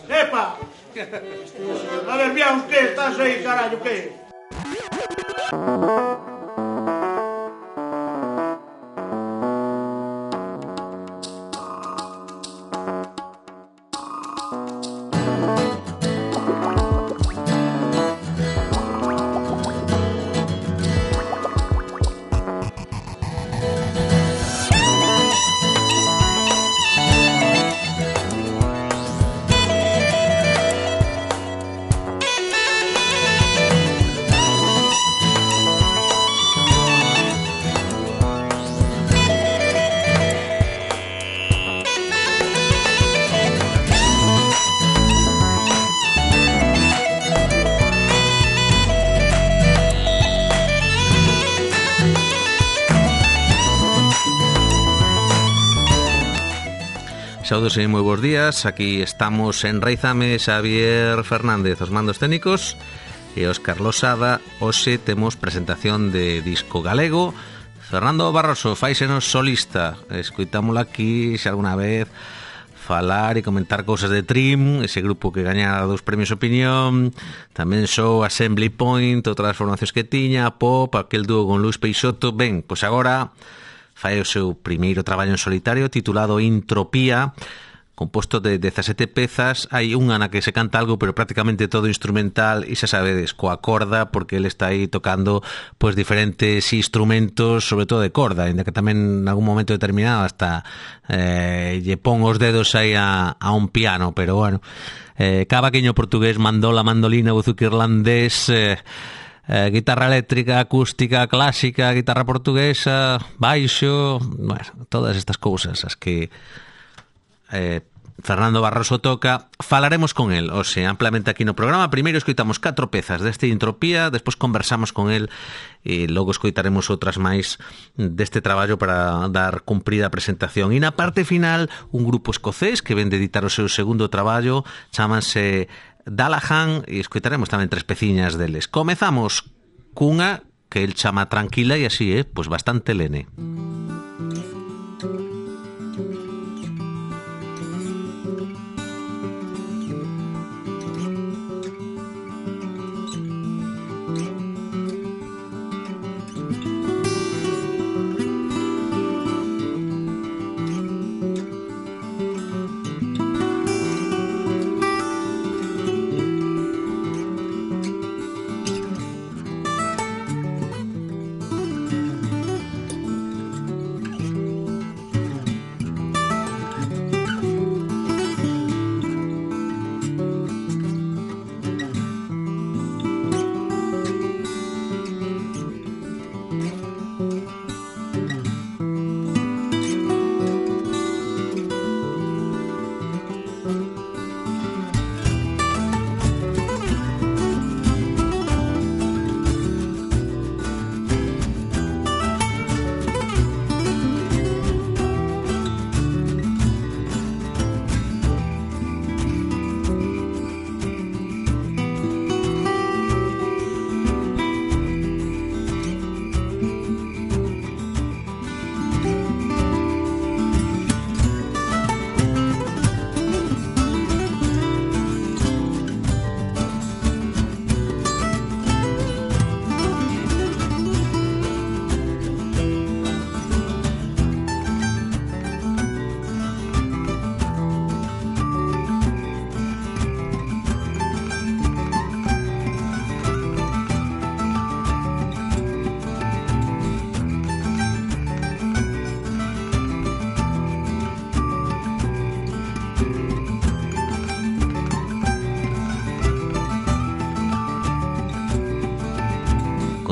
Epa! A ver, Biaus, que estás aí, carallo, que? Saúdos e moi bons días. Aquí estamos en Raizame, Xavier Fernández, os mandos técnicos, e Óscar Losada. Hoxe temos presentación de disco galego. Fernando Barroso fáisenos solista. Escoitámoslo aquí xa alguna vez falar e comentar cousas de Trim, ese grupo que gañara 2 premios Opinión. Tamén sou Assembly Point, outras formacións que tiña, Pop, aquel dúo con Luis Peixoto. Ben, pois agora fai o seu primeiro traballo en solitario titulado Intropía, composto de 17 pezas. Hai unha na que se canta algo, pero prácticamente todo instrumental, e xa sabedes, coa corda, porque ele está aí tocando pois diferentes instrumentos, sobre todo de corda, ainda que tamén en algún momento determinado hasta lle pon os dedos aí a un piano, pero bueno, cavaqueño portugués, mandola, mandolina, buzuki irlandés, guitarra eléctrica, acústica, clásica, guitarra portuguesa, baixo, bueno, todas estas cousas as que Fernando Barroso toca. Falaremos con el, o sea, amplamente aquí no programa. Primeiro escoitamos 4 pezas deste Intropía, despois conversamos con el e logo escoitaremos outras máis deste traballo para dar cumprida a presentación. E na parte final, un grupo escocés que ven de editar o seu segundo traballo, chámanse Dalahan, e escoitaremos tamén 3 peciñas deles. Comezamos cunha que el chama Tranquila e así, pois bastante lene.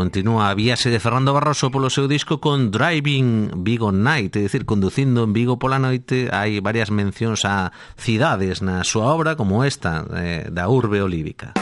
Continúa a viaxe de Fernando Barroso polo seu disco con Driving Vigo Night, é dicir, conducindo en Vigo pola noite. Hai varias mencións a cidades na súa obra, como esta, da urbe olívica.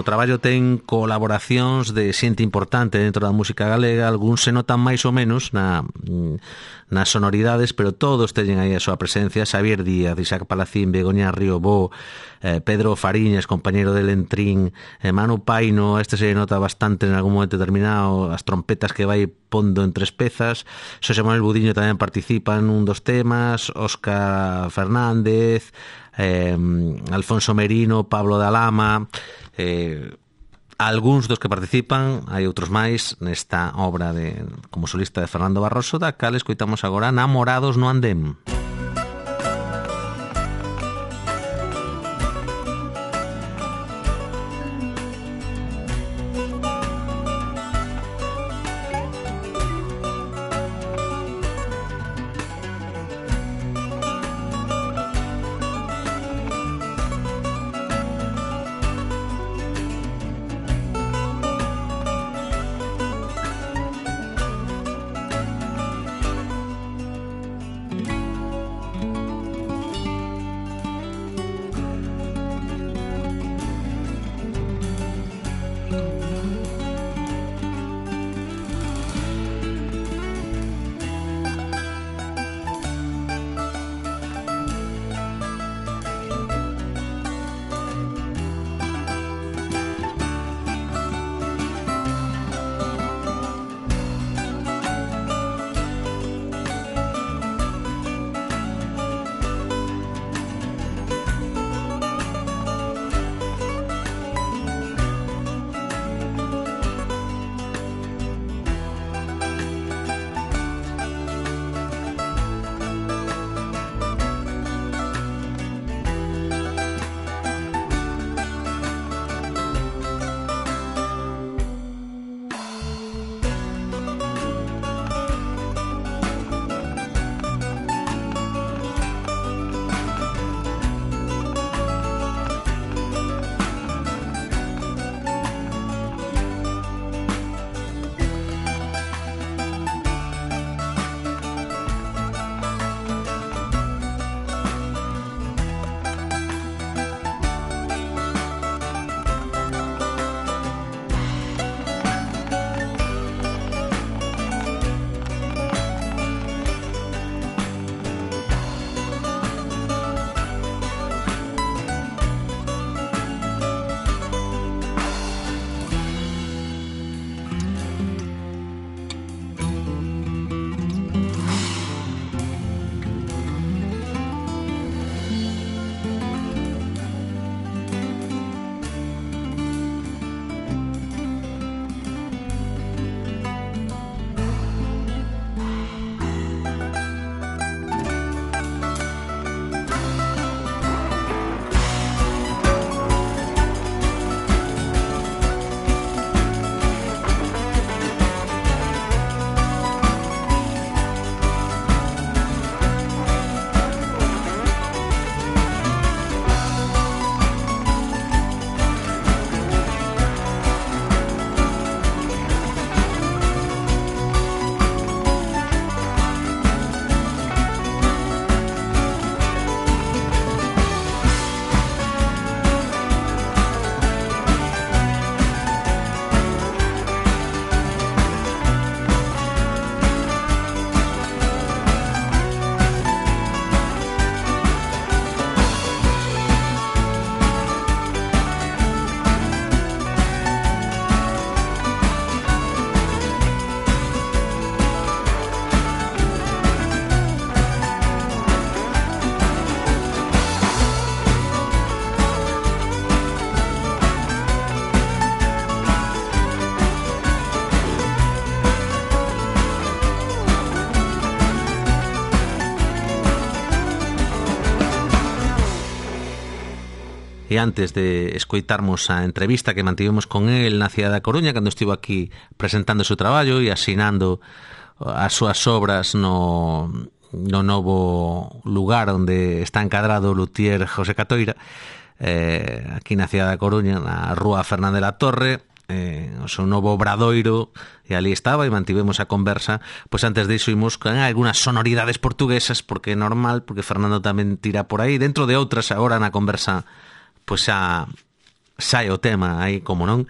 no traballo ten colaboracións de xente importante dentro da música galega, algúns se notan máis ou menos nas sonoridades, pero todos teñen aí a súa presencia. Xavier Díaz, Isaac Palacín, Begoña Riobó, Pedro Fariñas, compañeiro de Lentrín, Manu Paino, este se nota bastante en algún momento determinado, as trompetas que vai pondo en 3 pezas. Xosé Manuel Budiño tamén participa en un dos temas, Óscar Fernández, Alfonso Merino, Pablo da Lama, algúns dos que participan, hai outros máis nesta obra como solista de Fernando Barroso, da cal escoitamos agora Namorados no andén. E antes de escoitarmos a entrevista que mantivemos con el na cidade da Coruña, cando estivo aquí presentando o seu traballo e asinando as súas obras no novo lugar onde está encadrado o luthier José Catoira, aquí na cidade da Coruña, na rúa Fernández la Torre, o seu novo obradoiro, e ali estaba e mantivemos a conversa. Pois antes disso imos con algunas sonoridades portuguesas, porque é normal, porque Fernando tamén tira por aí, dentro de outras agora na conversa pois xa sai o tema aí, como non,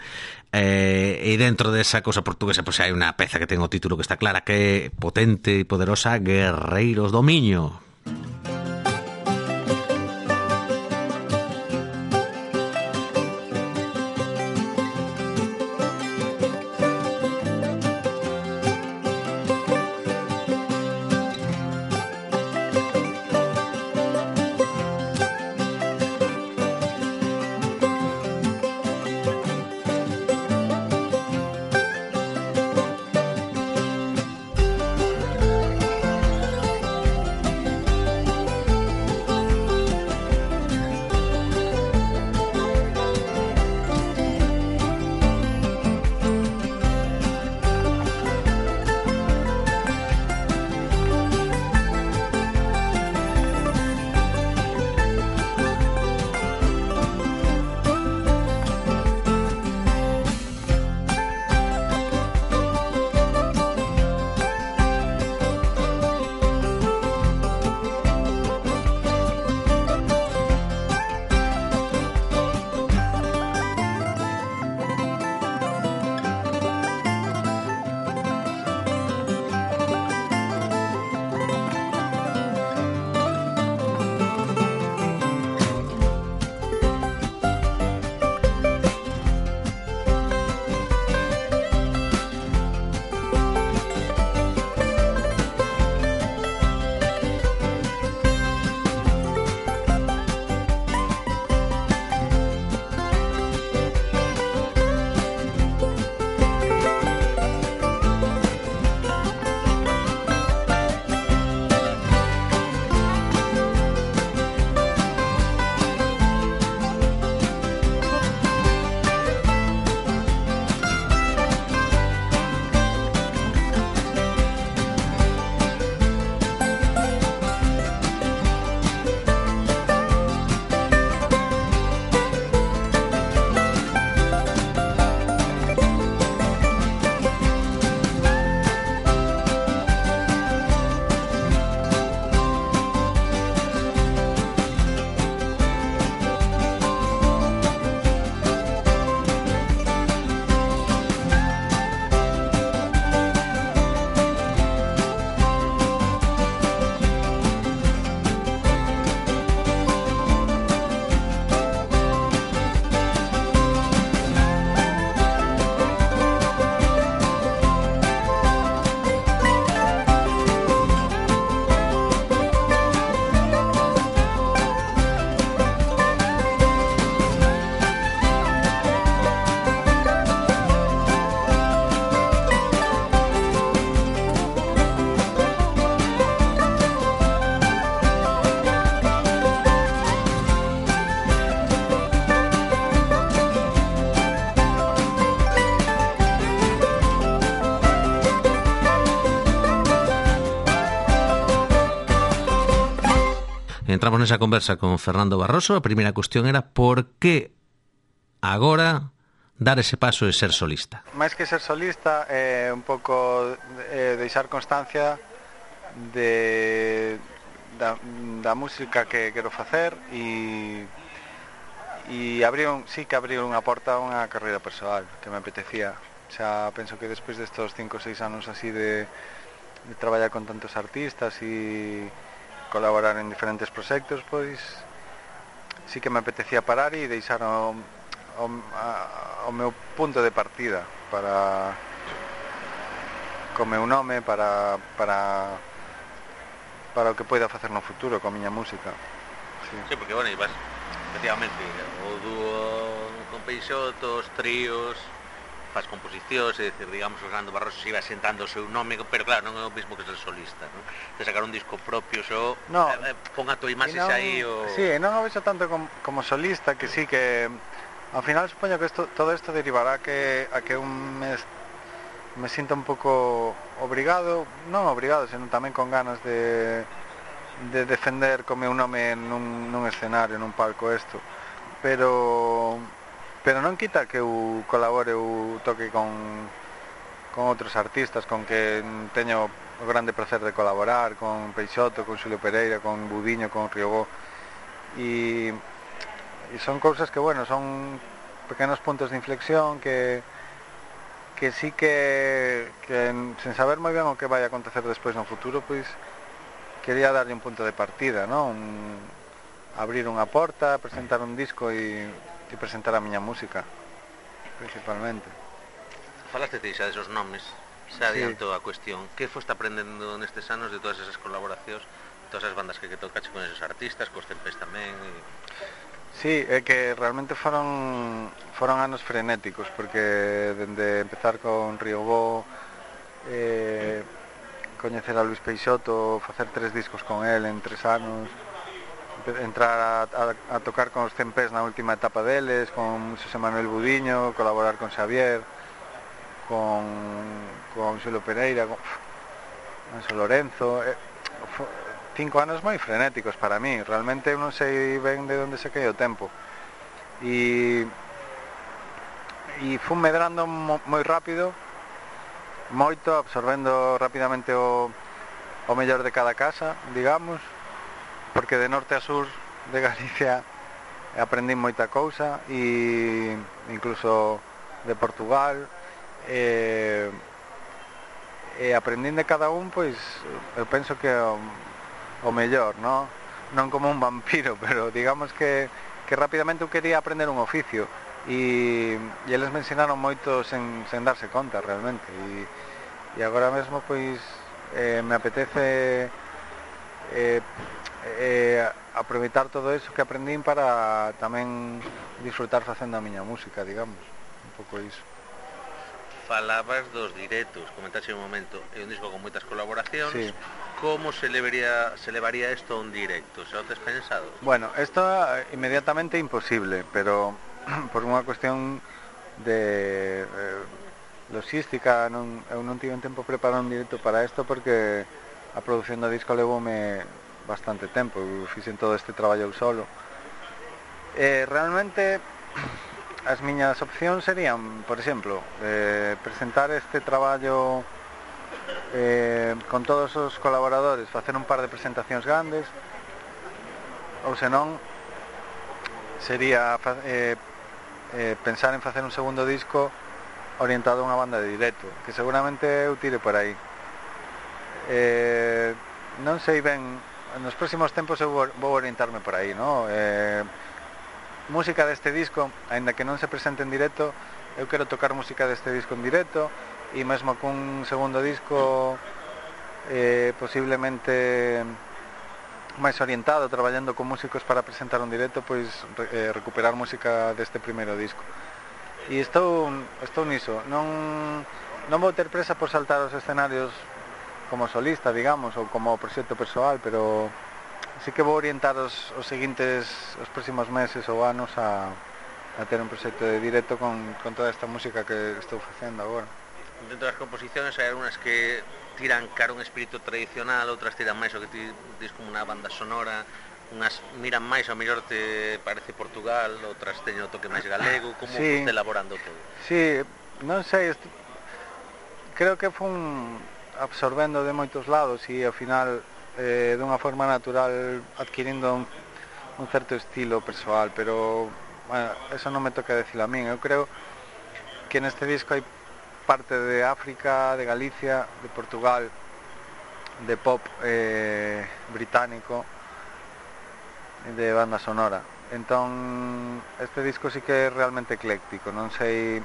e dentro desa cousa portuguesa pois hai unha peza que ten o título que está clara, que é potente e poderosa, Guerreiros do Miño. Entramos nesa conversa con Fernando Barroso. A primeira cuestión era por que agora dar ese paso de ser solista. Máis que ser solista é un pouco deixar constancia da música que quero facer e sí que abriu unha porta a unha carreira persoal que me apetecía. Xa penso que despois destos 5 ou 6 anos así de traballar con tantos artistas e colaborar en diferentes proxectos, pois sí que me apetecía parar e deixar o meu punto de partida para co meu nome para o que poida facer no futuro coa miña música. Sí, porque, bueno, ibas, efectivamente, o dúo con Peixoto, os tríos, faz composicións, é dicir, digamos, o Fernando Barroso se iba sentando o seu nome, pero claro, non é o mesmo que ser solista, non? De sacar un disco propio, xo, no, pon a tua imaxe xa aí o... Sí, non o vexo tanto como solista, que sí que ao final supoño que todo isto derivará a que me sinta un pouco obrigado, non obrigado, senón tamén con ganas de defender co meu nome nun escenario, nun palco isto, pero non quita que eu colabore ou toque con outros artistas con que teño o grande placer de colaborar, con Peixoto, con Xulio Pereira, con Budiño, con Riobó, e son cousas que, bueno, son pequenos puntos de inflexión que sí que sen saber moi ben o que vai acontecer despois no futuro, pois quería darlle un punto de partida, non? Abrir unha porta, presentar un disco e presentar a miña música, principalmente. Falaste xa desos nomes, se adiantou a cuestión. Que foste aprendendo nestes anos de todas esas colaboracións, todas as bandas que tocache con esos artistas, cos Tempés tamén? Sí, é que realmente foron anos frenéticos, porque dende empezar con Riobó, coñecer a Luis Peixoto, facer 3 discos con él en 3 anos, entrar a tocar con os Tempés na última etapa deles, con Xosé Manuel Budiño, colaborar con Xavier, con Xulo Pereira, con Anxo Lorenzo. 5 anos moi frenéticos para mí, realmente non sei ben de onde se cae o tempo, e fun medrando moi rápido, moito, absorbendo rapidamente o mellor de cada casa, digamos, porque de norte a sur de Galicia aprendín moita cousa, e incluso de Portugal, e aprendín de cada un, pois eu penso que o mellor, non como un vampiro, pero digamos que rapidamente eu quería aprender un oficio, e eles me ensinaron moito sen darse conta realmente, e agora mesmo pois me apetece aproveitar todo eso que aprendín para tamén disfrutar facendo a miña música, digamos, un pouco iso. Falabas dos directos, comentaxe un momento, é un disco con moitas colaboracións. Sí. Como se levaría isto a un directo? Se o tes pensado? Bueno, esto inmediatamente imposible, pero por unha cuestión de logística, eu non tive tempo preparar un directo para isto, porque a produción do disco levoume bastante tempo, eu fixen todo este traballo eu solo. Realmente as miñas opcións serían, por exemplo, presentar este traballo con todos os colaboradores, facer un par de presentacións grandes, ou senón sería pensar en facer un segundo disco orientado a unha banda de directo, que seguramente eu tire por aí. Non sei ben, nos próximos tempos eu vou orientarme por aí, non? Música deste disco, aínda que non se presente en directo, eu quero tocar música deste disco en directo, e mesmo cun segundo disco posiblemente máis orientado, traballando con músicos para presentar un directo, pois recuperar música deste primeiro disco. E estou niso, non vou ter presa por saltar os escenarios como solista, digamos, ou como proxecto persoal, pero sí que vou orientar os próximos meses ou anos a ter un proxecto de directo con toda esta música que estou facendo agora. Dentro das composicións hai algunhas que tiran cara un espírito tradicional, outras tiran máis o que ti dis como unha banda sonora, unhas miran máis ao mellor te parece Portugal, outras teñen o toque máis galego. Como sí, foste elaborando todo? Sí, non sei, creo que fun absorbendo de moitos lados e ao final dunha forma natural adquirindo un certo estilo persoal, pero bueno, eso non me toca decir a min. Eu creo que neste disco hai parte de África, de Galicia, de Portugal, de pop británico, de banda sonora. Entón, este disco sí que é realmente ecléctico, non sei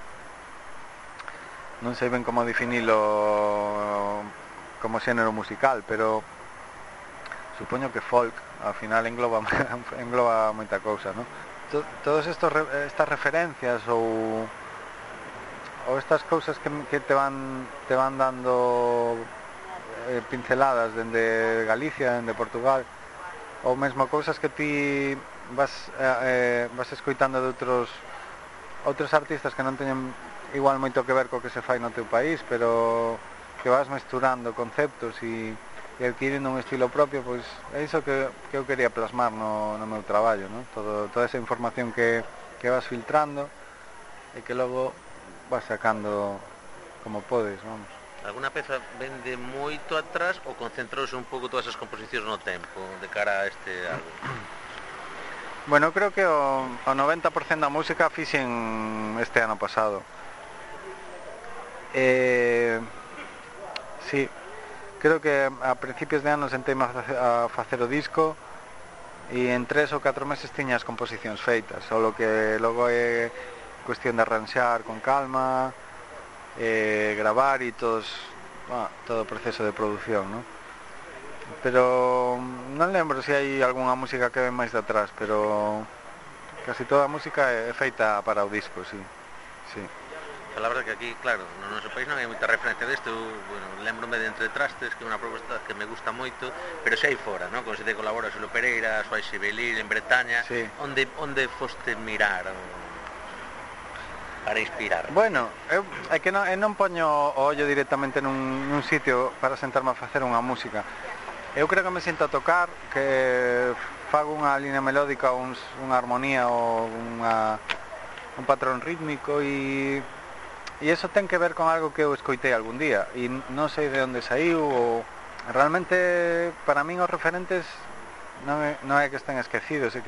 ben como definilo como xénero musical, pero supoño que folk, ao final engloba moita cousa, non? Todas estas referencias ou estas cousas que te van dando pinceladas dende Galicia, dende Portugal, ou mesmo cousas que ti vas escoitando de outros artistas que non teñen igual moito que ver co que se fai no teu país, pero que vas mesturando conceptos e adquirindo un estilo propio, pois é iso que eu quería plasmar no meu traballo, non? Toda esa información que vas filtrando e que logo vas sacando como podes, vamos. Alguna peza vende moito atrás ou concentrouse un pouco todas as composicións no tempo de cara a este álbum? Bueno, creo que o 90% da música fixen este ano pasado. Sí, creo que a principios de ano sentei-me a facer o disco e en 3 ou 4 meses tiña as composicións feitas, só que logo é cuestión de arranxar con calma, gravar e todo o proceso de produción, ¿no? Pero non lembro se hai algunha música que ven máis de atrás, pero casi toda a música é feita para o disco, sí. A la verdad que aquí, claro, no noso país non hai moita referencia desto. Bueno, lembrome de Entre Trastes, que é unha proposta que me gusta moito, pero se hai fora, non? Con se te colabora Xulo Pereira, Suai Sibelil, en Bretaña, Sí. onde foste mirar para inspirar? Bueno, eu non poño o ollo directamente nun sitio para sentarme a facer unha música. Eu creo que me sinto a tocar, que fago unha línea melódica, unha armonía ou un patrón rítmico e iso ten que ver con algo que eu escoitei algún día e non sei de onde saiu ou realmente para min os referentes non é que estén esquecidos, é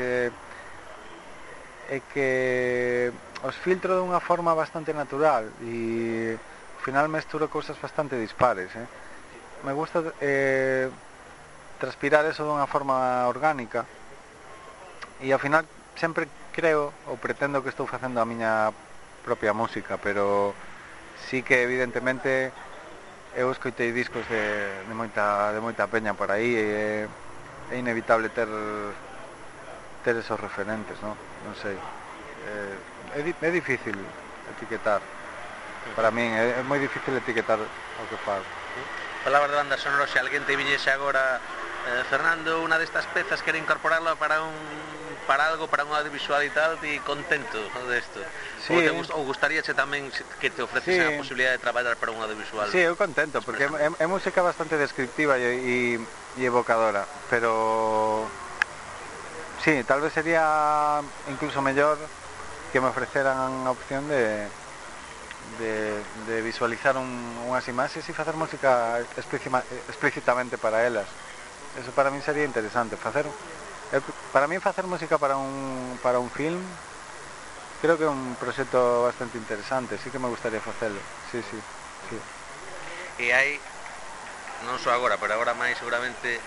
que os filtro dunha forma bastante natural e ao final mesturo cousas bastante dispares, me gusta transpirar eso dunha forma orgánica e ao final sempre creo ou pretendo que estou facendo a miña propia música, pero sí que evidentemente eu escoitei discos de moita peña por aí e é inevitable ter esos referentes, non sei, é difícil etiquetar, para min é moi difícil etiquetar o que fago. Palabras de banda sonora, se alguén te viñese agora, Fernando, unha destas pezas quere incorporarlo para algo, para un audiovisual e tal, ti contento desto? Sí. Ou gustaríache tamén que te ofrecese a posibilidade de traballar para un audiovisual? Sí, eu contento, porque é música bastante descriptiva e evocadora, pero sí, tal vez sería incluso mellor que me ofreceran a opción de visualizar unhas imaxes e facer música explícitamente para elas. Eso para min sería interesante. Para min facer música para un film creo que é un proxecto bastante interesante, sí que me gustaría facelo. Sí. E hai, non só agora, pero agora máis seguramente,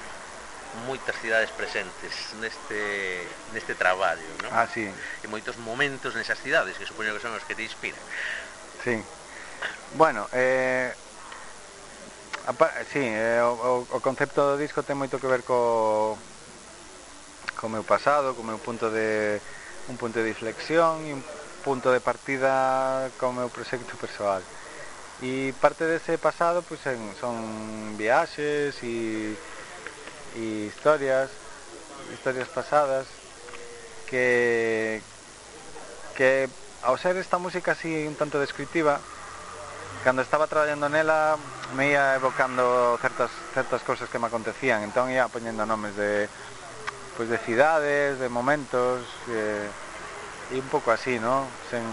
moitas cidades presentes neste traballo, non? Ah, sí. E moitos momentos nesas cidades, que supoño que son os que te inspiran. Sí. Bueno, o concepto do disco ten moito que ver co meu pasado, co meu un punto de inflexión e un punto de partida co meu proxecto persoal. E parte dese pasado pois son viaxes e historias pasadas que ao ser esta música así un tanto descriptiva, cando estaba traballando nela me ia evocando certas cousas que me acontecían, entón ia poñendo nomes de cidades, de momentos e un pouco así, non? Sen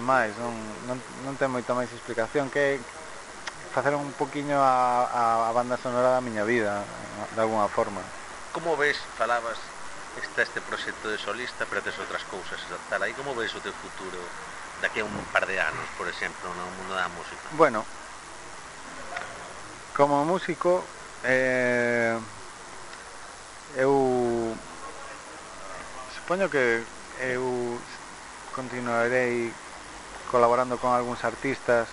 máis, non ten moita máis explicación que facer un poquinho a banda sonora da miña vida de alguna forma. Como ves, falabas, está este proxecto de solista, pero tes outras cousas tal aí, como ves o teu futuro daqui a un par de anos, por exemplo, no mundo da música? Bueno, como músico eu supoño que eu continuarei colaborando con algúns artistas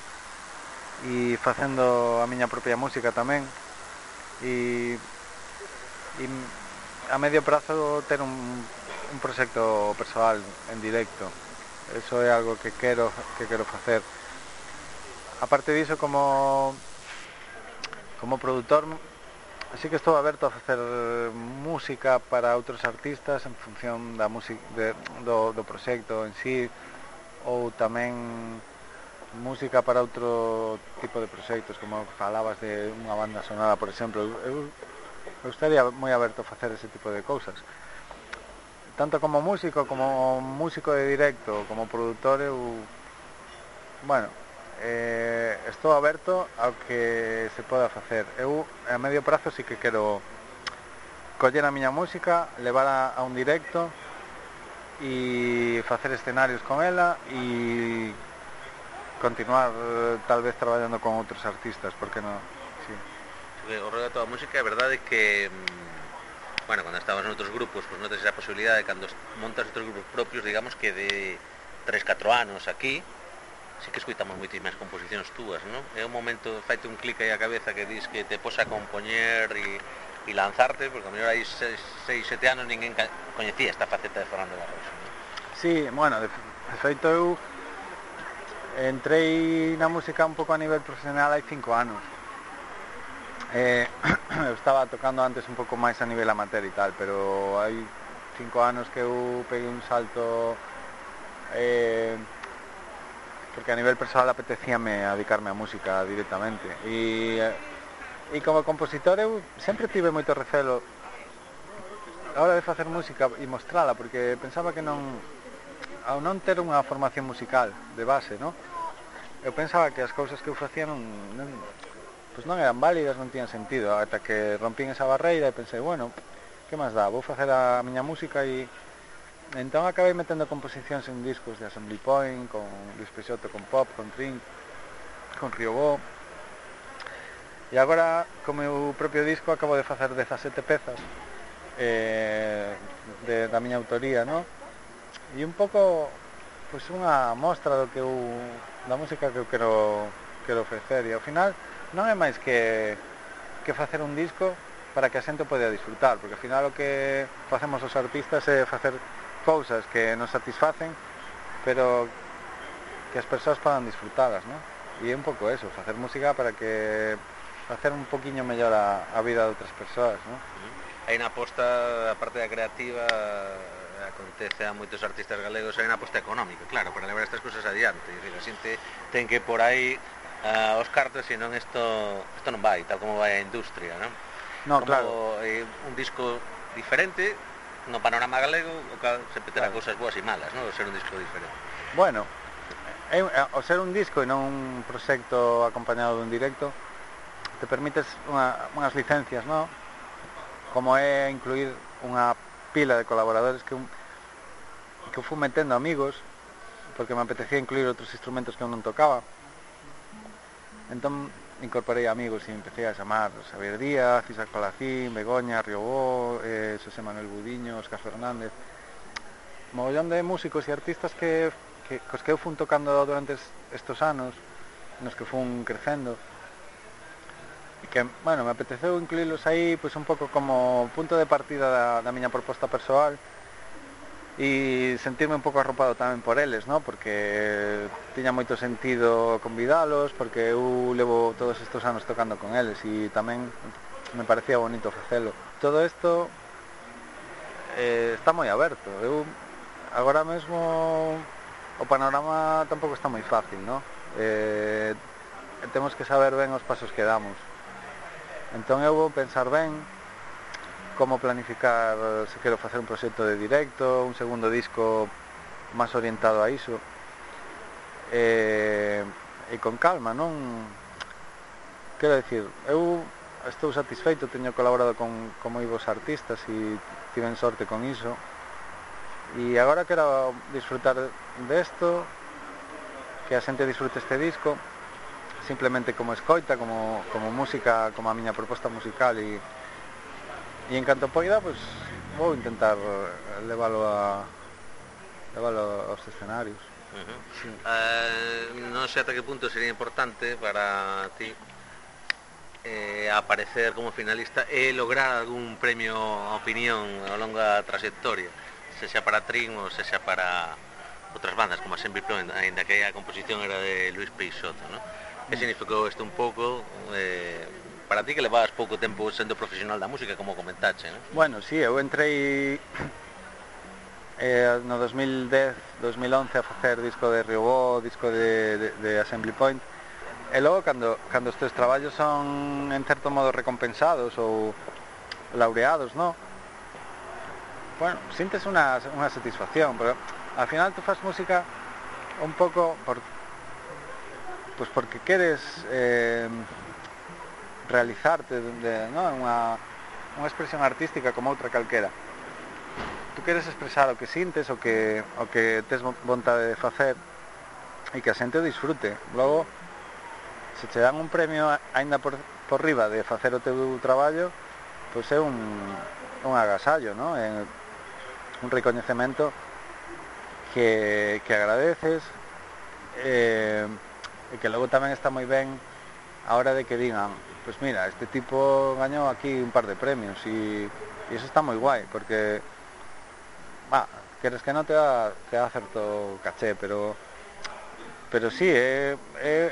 e facendo a miña propia música tamén e a medio prazo ter un proxecto persoal en directo. Eso é algo que quero facer. Aparte diso, como produtor, así que estou aberto a facer música para outros artistas en función da música do proxecto en sí, ou tamén música para outro tipo de proxectos, como falabas de unha banda sonora, por exemplo. Eu estaría moi aberto a facer ese tipo de cousas, tanto como músico de directo, como produtor. Estou aberto ao que se poda facer. Eu a medio prazo sí que quero coller a miña música, levar a un directo e facer escenarios con ela e continuar tal vez traballando con outros artistas, porque non? Sí. O rollo da tua música é verdade que bueno, cando estabas en outros grupos, pois non tes esa posibilidade, cando montas outros grupos propios, digamos que de 3-4 anos aquí, sí que escuitamos moitísimas composicións túas, non? É un momento, faite un clic aí a cabeza que dis que te pos a compoñer e lanzarte, porque a mellor hai 6-7 anos ninguén coñecía esta faceta de Fernando Barroso, non? Sí, bueno, de feito eu entrei na música un pouco a nivel profesional hai 5 anos. Eu estaba tocando antes un pouco máis a nivel amateur e tal, pero hai 5 anos que eu peguei un salto porque a nivel personal apetecíame a dedicarme á música directamente e como compositor eu sempre tive moito recelo a hora de facer música e mostrala, porque pensaba que ao non ter unha formación musical de base, non? Eu pensaba que as cousas que eu facía non eran válidas, non tiñan sentido, ata que rompín esa barreira e pensei, bueno, que máis dá, vou facer a miña música e entón acabei metendo composicións en discos de Assembly Point, con Luis Peixoto, con Pop, con Trink, con Riobó, e agora co meu propio disco acabo de facer 17 pezas da miña autoría, non? E un pouco pois unha mostra da música que eu quero ofrecer, e ao final non é máis que facer un disco para que a xente poida disfrutar, porque ao final o que facemos os artistas é facer cousas que nos satisfacen, pero que as persoas podan disfrutalas, non? E é un pouco eso, facer música para que facer un poquinho mellor a vida de outras persoas, non? Hai na aposta, a parte da creativa, acontece a moitos artistas galegos, hai na aposta económica, claro, para levar estas cousas adiante. É dicir, a xente ten que por aí os cartos, senón isto non vai, tal como vai a industria, non? No, como, claro. Un disco diferente no panorama galego, o cal sempre terá Claro. cousas boas e malas, non? O ser un disco diferente. Bueno, ao ser un disco e non un proxecto acompañado dun directo, te permites unhas licencias, non? Como é incluir unha pila de colaboradores que eu fui metendo amigos, porque me apetecía incluir outros instrumentos que eu non tocaba. Entón incorporei amigos e empecé a chamar Xavier Díaz, Isaac Palacín, Begoña, Riobó, Xosé Manuel Budiño, Óscar Fernández, mogollón de músicos e artistas cos que eu fun tocando durante estos anos, nos que fun crecendo, e que, bueno, me apeteceu incluílos aí pois un pouco como punto de partida da miña proposta persoal e sentirme un pouco arropado tamén por eles, non? Porque tiña moito sentido convidalos, porque eu levo todos estes anos tocando con eles e tamén me parecía bonito facelo. Todo isto está moi aberto. Eu agora mesmo o panorama tampouco está moi fácil, non? Temos que saber ben os pasos que damos. Entón eu vou pensar ben como planificar, se quero facer un proxecto de directo, un segundo disco máis orientado a iso, e con calma, non? Quero dicir, eu estou satisfeito, teño colaborado con moi bons artistas e tiven sorte con iso, e agora quero disfrutar desto, que a xente disfrute este disco, simplemente como escoita, como música, como a miña proposta musical e en canto poida, pois vou intentar leválo aos escenarios. Sí. Non sei ata que punto sería importante para ti aparecer como finalista e lograr algún premio a opinión ao longo da trayectoria, sexa para Trin ou sexa para outras bandas como a Assembly Point, ainda que a composición era de Luis Peixoto, non? Que significou isto un pouco para ti, que levabas pouco tempo sendo profesional da música, como comentache, non? Bueno, sí, eu entrei no 2010-2011 a facer disco de Riobó, disco de Assembly Point, e logo cando os teus traballos son en certo modo recompensados ou laureados, non? Bueno, sintes unha satisfacción, pero ao final tú fas música un pouco porque queres realizarte, non? unha expresión artística como outra calquera. Tú queres expresar o que sintes, o que tes vontade de facer e que a xente o disfrute. Logo, se che dan un premio aínda por riba de facer o teu traballo, pois é un agasallo, ¿no? É un recoñecemento que agradeces, e que logo tamén está moi ben a hora de que digan, pois mira, este tipo gañou aquí un par de premios, e iso está moi guai, porque queres que non te dá certo caché, pero sí, é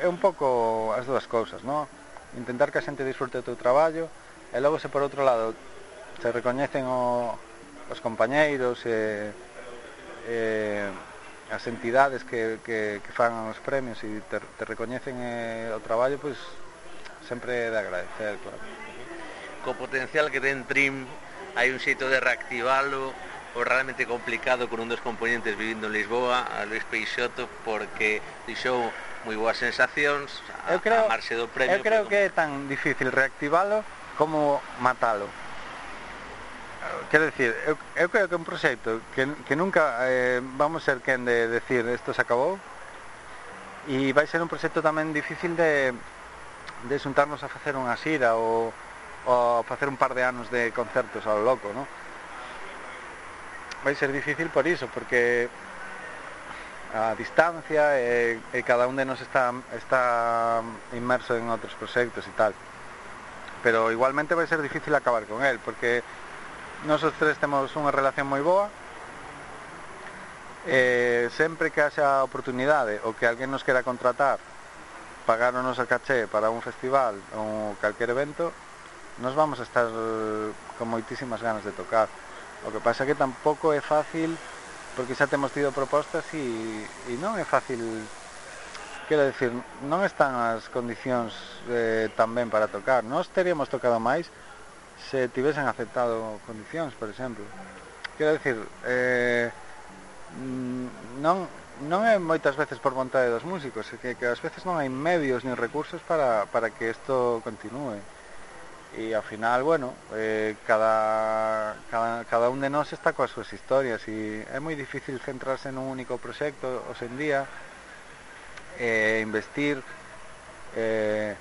un pouco as dúas cousas, ¿no? Intentar que a xente disfrute o teu traballo, e logo se por outro lado se recoñecen os compañeiros e as entidades que fan os premios e te recoñecen o traballo, pois sempre é de agradecer, claro. Co potencial que ten Trim, hai un xeito de reactivalo, o realmente complicado con un dos componentes vivindo en Lisboa, a Luis Peixoto, porque deixou moi boas sensacións a marxe do premio. Eu creo que é tan difícil reactivalo como matalo. Quero dicir, eu creo que é un proxecto que nunca vamos ser quen de decir isto se acabou, e vai ser un proxecto tamén difícil de xuntarnos a facer unha xira ou facer un par de anos de concertos ao loco, non? Vai ser difícil por iso, porque a distancia e cada un de nos está inmerso en outros proxectos e tal. Pero igualmente vai ser difícil acabar con él, porque nós os tres temos unha relación moi boa, e sempre que haxa oportunidade ou que alguén nos quera contratar, pagarnos a caché para un festival ou calquer evento, nos vamos a estar con moitísimas ganas de tocar. O que pasa é que tampouco é fácil, porque xa temos tido propostas e non é fácil, quero decir, non están as condicións tan ben para tocar. Nós teríamos tocado máis se tivesen aceptado condicións, por exemplo. Quero decir, non é moitas veces por vontade dos músicos, é que ás veces non hai medios nin recursos para que isto continúe. E ao final, bueno, cada un de nós está coas súas historias, e é moi difícil centrarse nun único proxecto hoxe en día, investir, e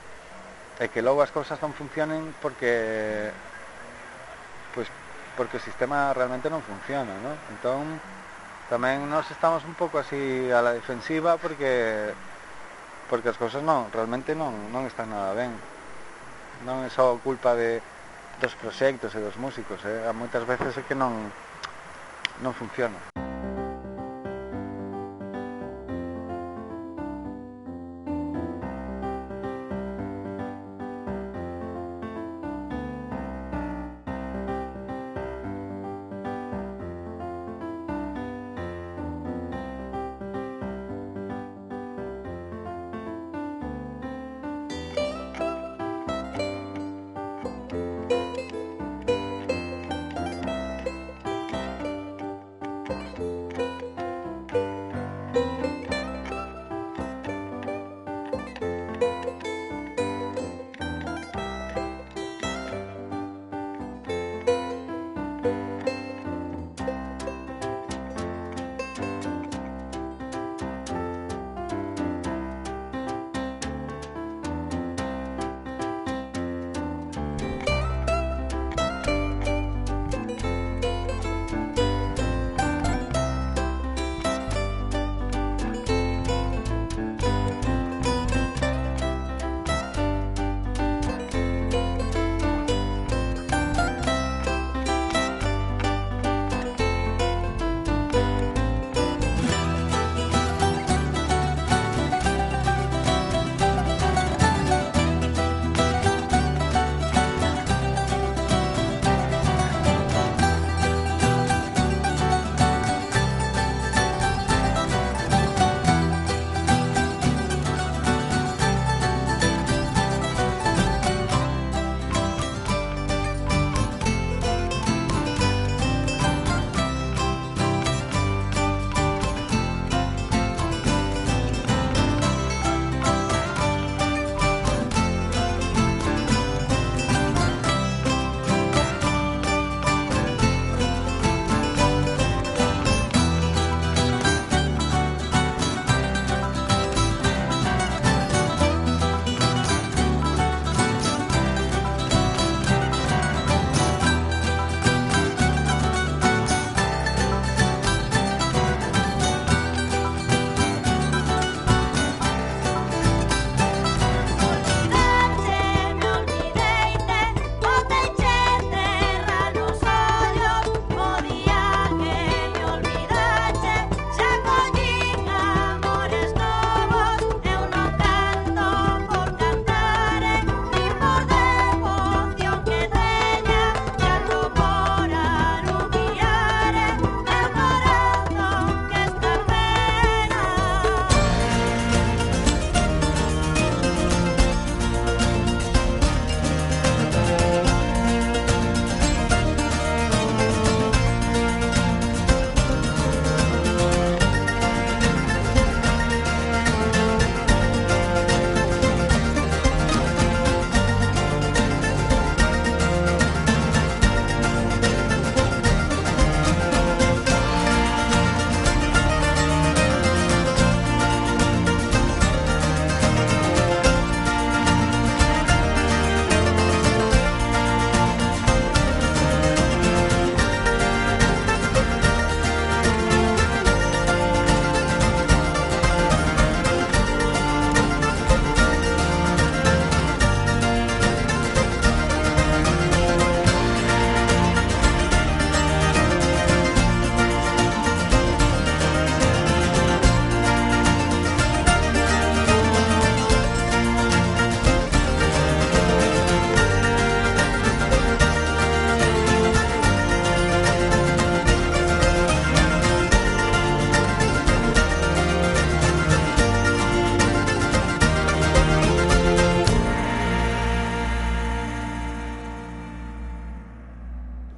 que logo as cousas non funcionen porque o sistema realmente non funciona, ¿no? Entón, tamén nós estamos un pouco así a la defensiva porque as cousas realmente non están nada ben. Non é só culpa dos proxectos e dos músicos, moitas veces é que non funciona.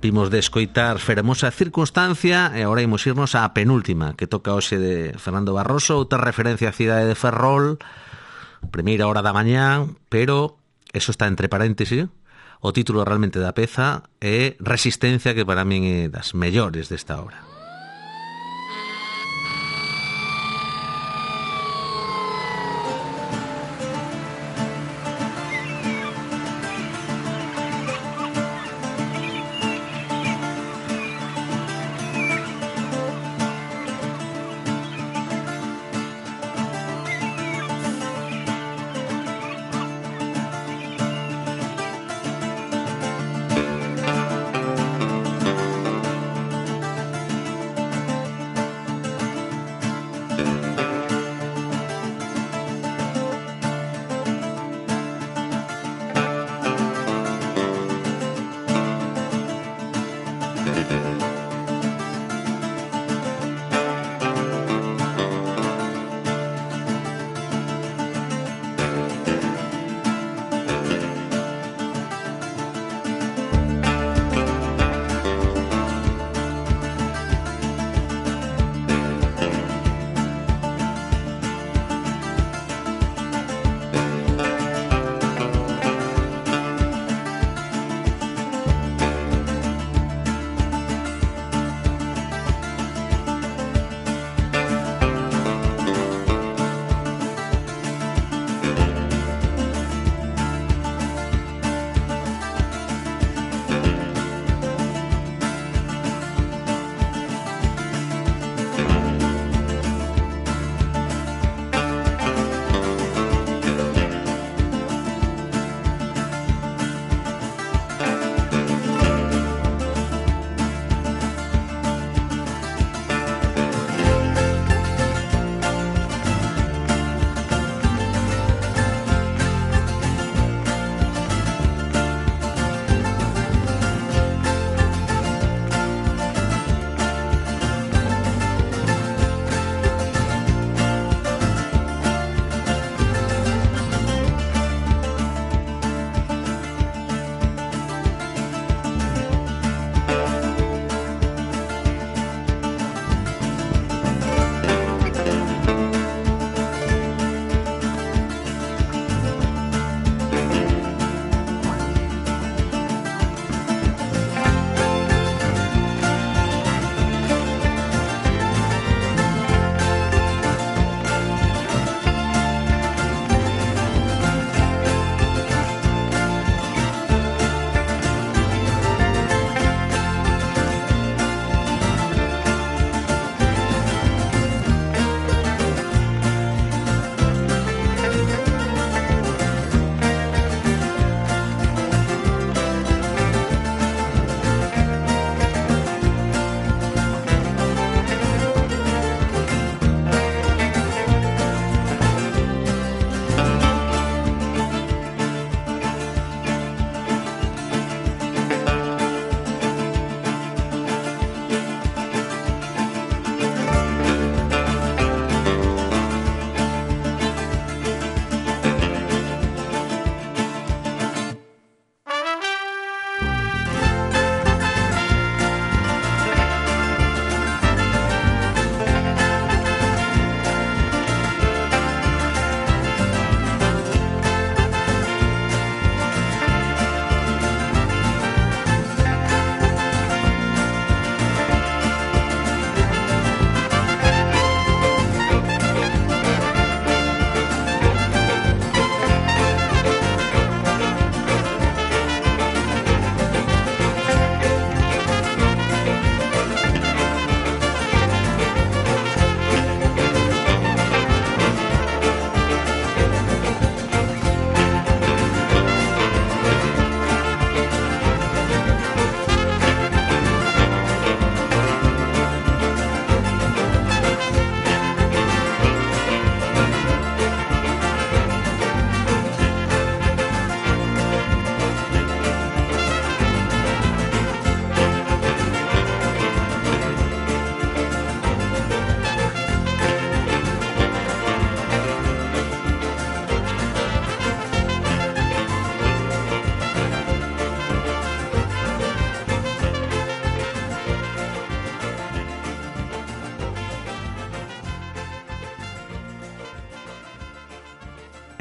Vimos de escoitar Fermosa Circunstancia e agora imos irnos á penúltima, que toca hoxe de Fernando Barroso, outra referencia á cidade de Ferrol, primeira hora da mañá, pero eso está entre paréntesis. O título realmente da peza é Resistencia, que para min é das mellores desta obra.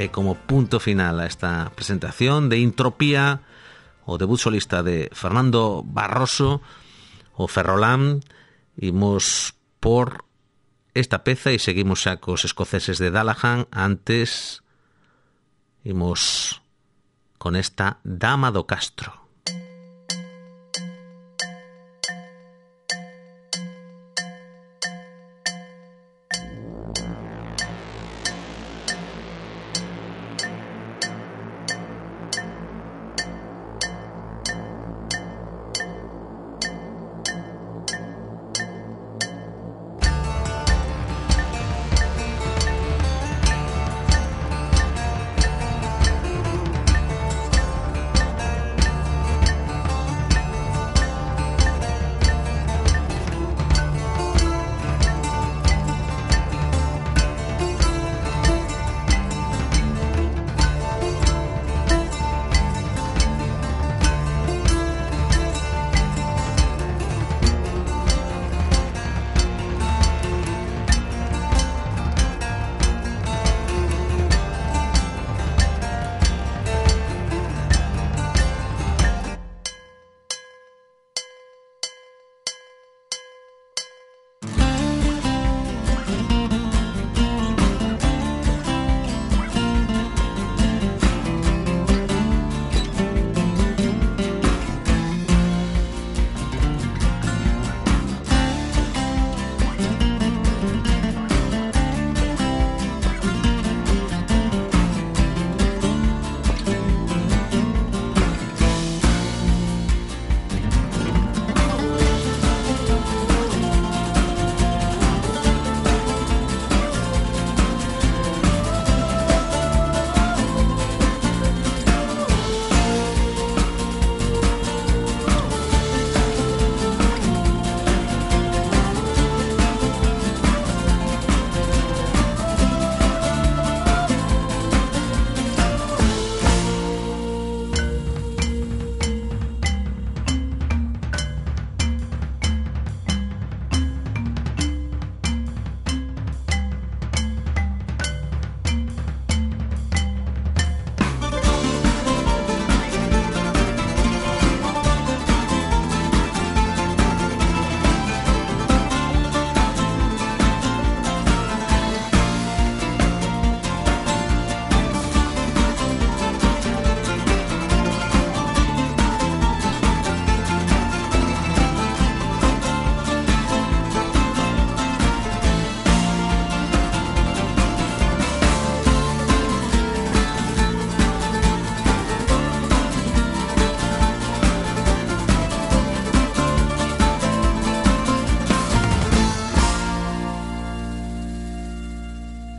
e como punto final a esta presentación de Intropía, o debut solista de Fernando Barroso, o Ferrolán. Imos por esta peza e seguimos xa cos escoceses de Dalahan. Antes imos con esta Dama do Castro.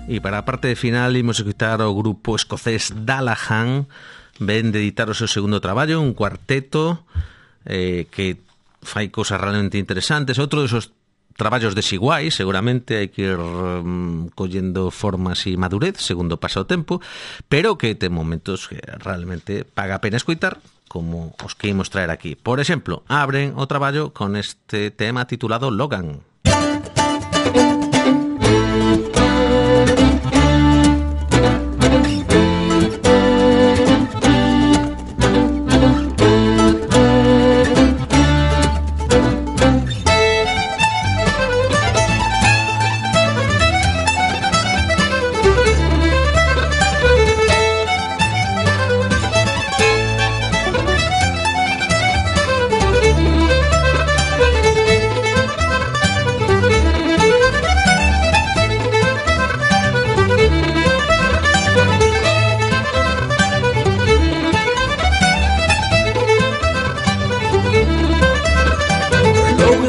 E para a parte final imos escutar o grupo escocés Dalahan. Ven de editar o seu segundo traballo, un cuarteto que fai cousas realmente interesantes. Outro desos traballos desiguais, seguramente hai que ir collendo formas e madurez segundo pasa o tempo, pero que ten momentos que realmente paga a pena escoitar, como os que imos traer aquí. Por exemplo, abren o traballo con este tema titulado Logan.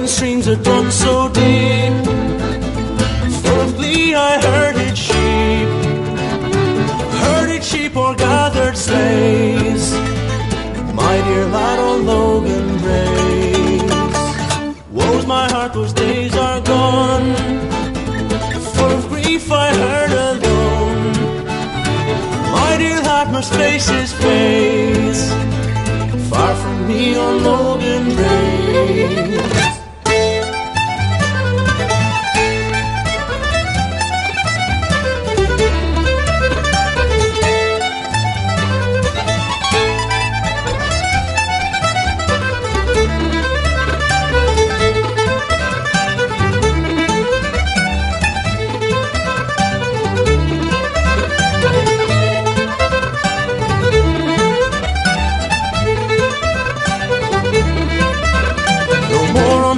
Streams are done so deep. Full of glee I herded sheep or gathered slaves. My dear lad on Logan Braes. Woe's my heart, those days are gone. Full of grief I heard alone. My dear lad must face his face. Far from me on Logan Braes.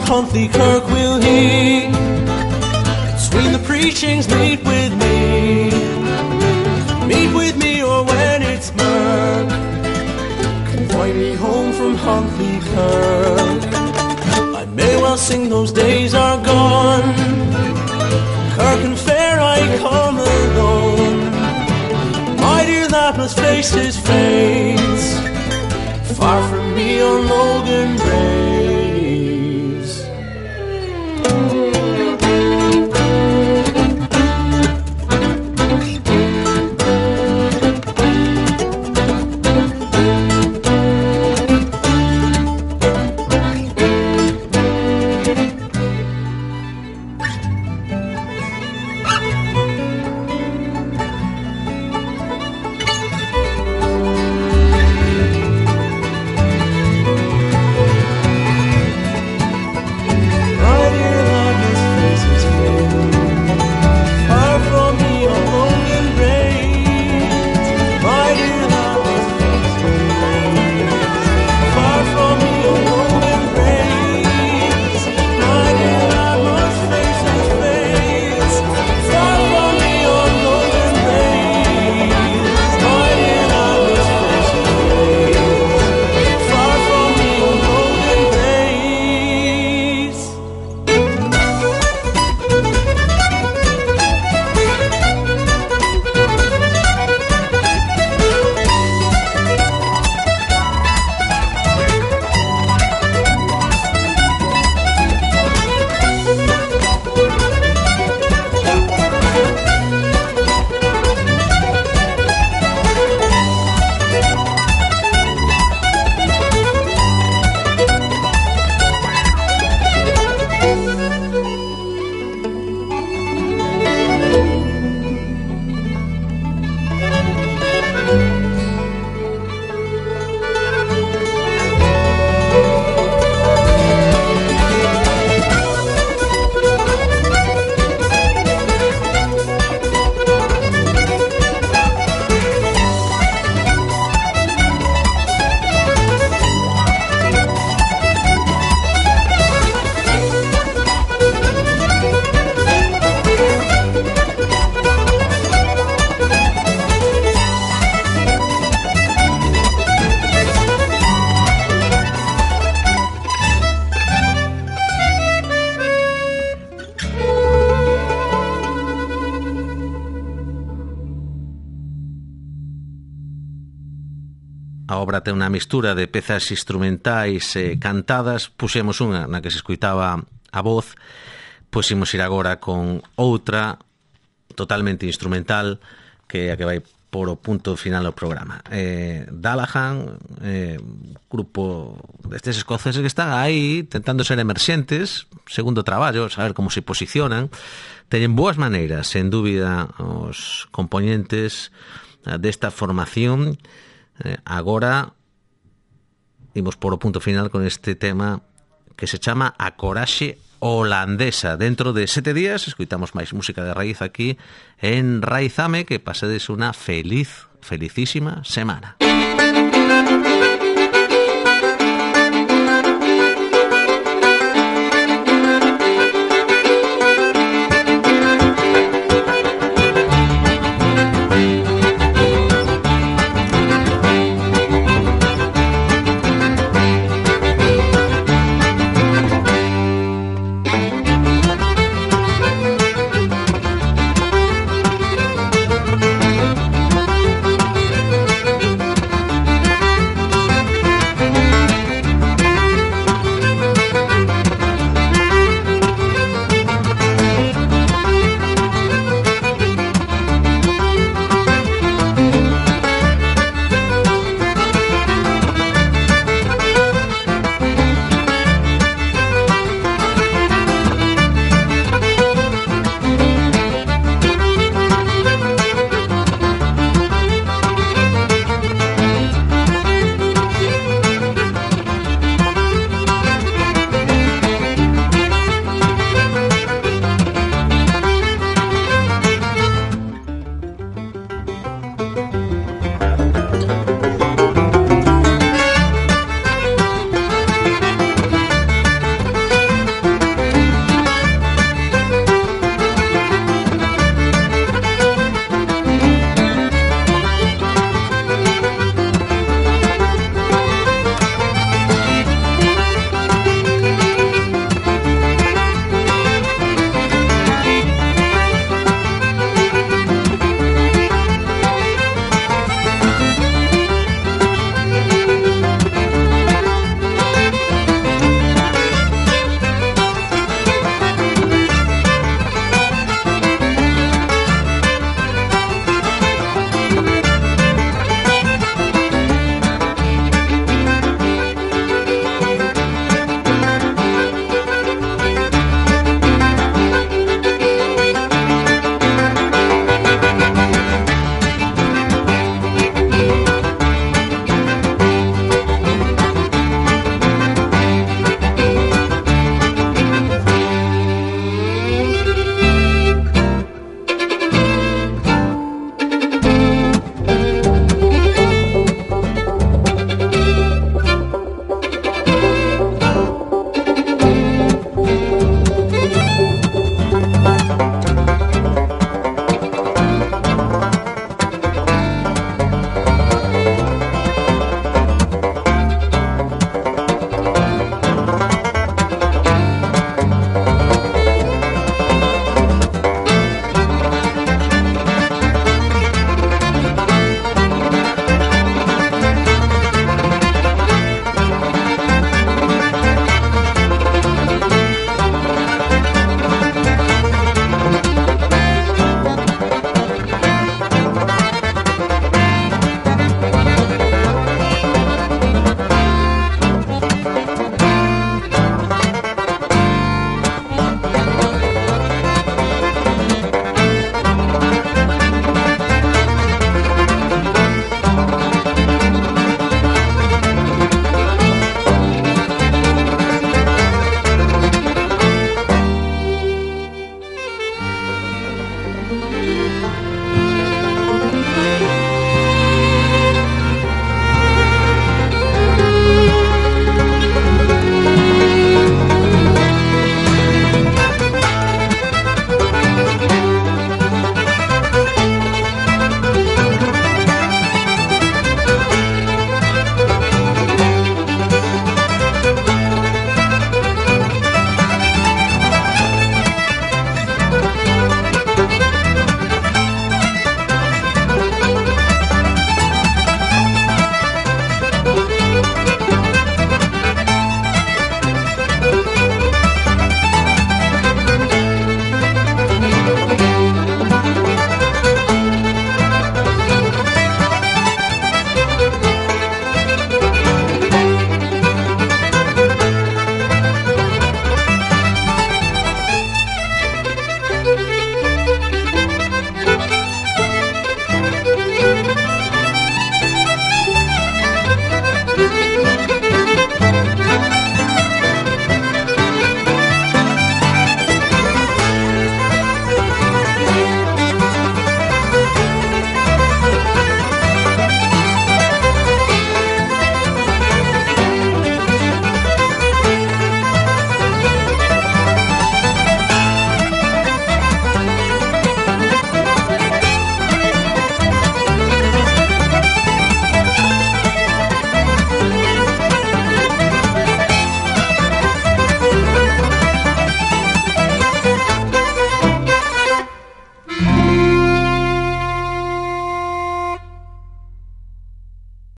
Huntly Kirk will he. Between the preachings, meet with me. Meet with me, or when it's murk, convoy me home from Huntly Kirk. I may well sing those days are gone. Kirk and Fair I come alone. My dear lad must face his fate. Far from me on Logan Braes. A obra ten unha mistura de pezas instrumentais cantadas. Puxemos unha na que se escuitaba a voz, pois imos ir agora con outra totalmente instrumental, que é a que vai por o punto final do programa. Dalahan, grupo destes escoceses que están aí tentando ser emerxentes, segundo traballo, saber como se posicionan. Teñen boas maneiras, sen dúbida, os componentes desta formación. Agora imos por o punto final con este tema que se chama A Coraxe Holandesa. Dentro de 7 días escuitamos máis música de raíz aquí en Raizame. Que pasedes unha felicísima semana.